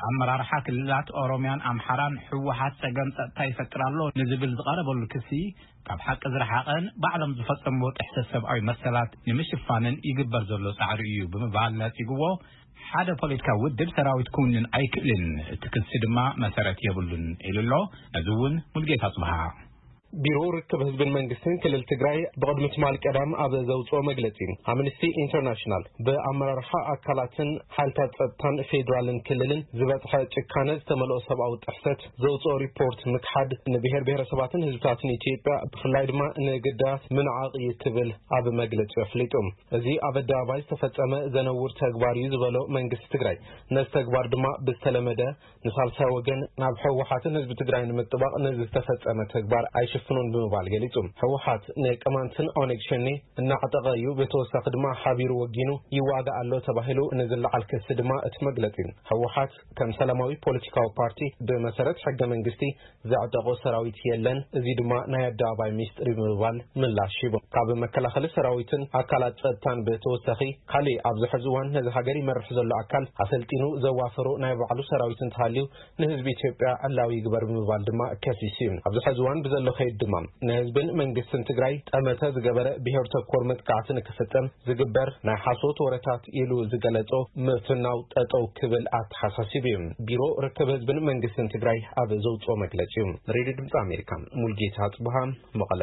ኣመራርሓ ክልላት ኦሮምያን ኣምሓራን ህወሓት ጸገም ጸጥታ ይፈጥር ኣሎ ንዝብል ዝቐረበሉ ክሲ ካብ ሓቂ ዝረሓቐን ባዕሎም ዝፈጸምዎ ጥሕሰት ሰብኣዊ መሰላት ንምሽፋንን ይግበር ዘሎ ጻዕሪ እዩ ብምባል ነጺግዎ። ሓደ ፖለቲካዊ ውድብ ሰራዊት ክውንን ኣይክእልን፣ እቲ ክሲ ድማ መሰረት የብሉን ኢሉ ኣሎ። ነዚ እውን ሙልጌታ ጽብሃ። ቢሮ ርክብ ህዝብን መንግስትን ክልል ትግራይ ብቕድሚ ትማል ቀዳም ኣብ ዘውፅኦ መግለፂ፣ ኣምነስቲ ኢንተርናሽናል ብኣመራርሓ ኣካላትን ሓይልታት ጸጥታን ፌዴራልን ክልልን ዝበፅሐ ጭካነ ዝተመልኦ ሰብኣዊ ጥሕሰት ዘውፅኦ ሪፖርት ምክሓድ ንብሔር ብሔረሰባትን ህዝብታትን ኢትዮጵያ ብፍላይ ድማ ንግዳያት ምንዓቕ እዩ ክብል ኣብ መግለፂ ኣፍሊጡ። እዚ ኣብ ኣደባባይ ዝተፈጸመ ዘነውር ተግባር እዩ ዝበሎ መንግስቲ ትግራይ፣ ነዚ ተግባር ድማ ብዝተለመደ ንሳልሳይ ወገን ናብ ህወሓትን ህዝቢ ትግራይ ንምጥባቕ ነዚ ዝተፈጸመ ተግባር ኣይሽፍኖን ብምባል ገሊጹ። ህወሓት ንቅማንትን ኦነግ ሸኔ እናዕጠቐ እዩ፣ ብተወሳኺ ድማ ሓቢሩ ወጊኑ ይዋጋእ ኣሎ ተባሂሉ ንዝለዓል ክሲ ድማ እቲ መግለጺ፣ ህወሓት ከም ሰላማዊ ፖለቲካዊ ፓርቲ ብመሰረት ሕገ መንግስቲ ዘዕጠቖ ሰራዊት የለን፣ እዚ ድማ ናይ ኣደባባይ ሚስጥር እዩ ብምባል ምላሽ ሂቡ። ካብ መከላኸሊ ሰራዊትን ኣካላት ጸጥታን ብተወሳኺ፣ ካሊእ ኣብዚ ሕዚ እዋን ነዚ ሃገር ይመርሕ ዘሎ ኣካል ኣሰልጢኑ ዘዋፈሮ ናይ ባዕሉ ሰራዊት እንተሃልዩ ንህዝቢ ኢትዮጵያ ዕላዊ ይግበር ብምባል ድማ ከሲሱ እዩ። ኣብዚ ሕዚ እዋን ብዘሎ ከይድ ድማ ንህዝብን መንግስትን ትግራይ ጠመተ ዝገበረ ብሄር ተኮር መጥቃዕቲ ንክፍጸም ዝግበር ናይ ሓሶት ወረታት ኢሉ ዝገለጾ ምፍናው ጠጠው ክብል ኣተሓሳሲቡ እዩ። ቢሮ ርክብ ህዝብን መንግስትን ትግራይ ኣብ ዘውፅኦ መግለፂ እዩ። ሬድዮ ድምፂ ኣሜሪካ፣ ሙልጌታ ጽብሃ፣ መቐለ።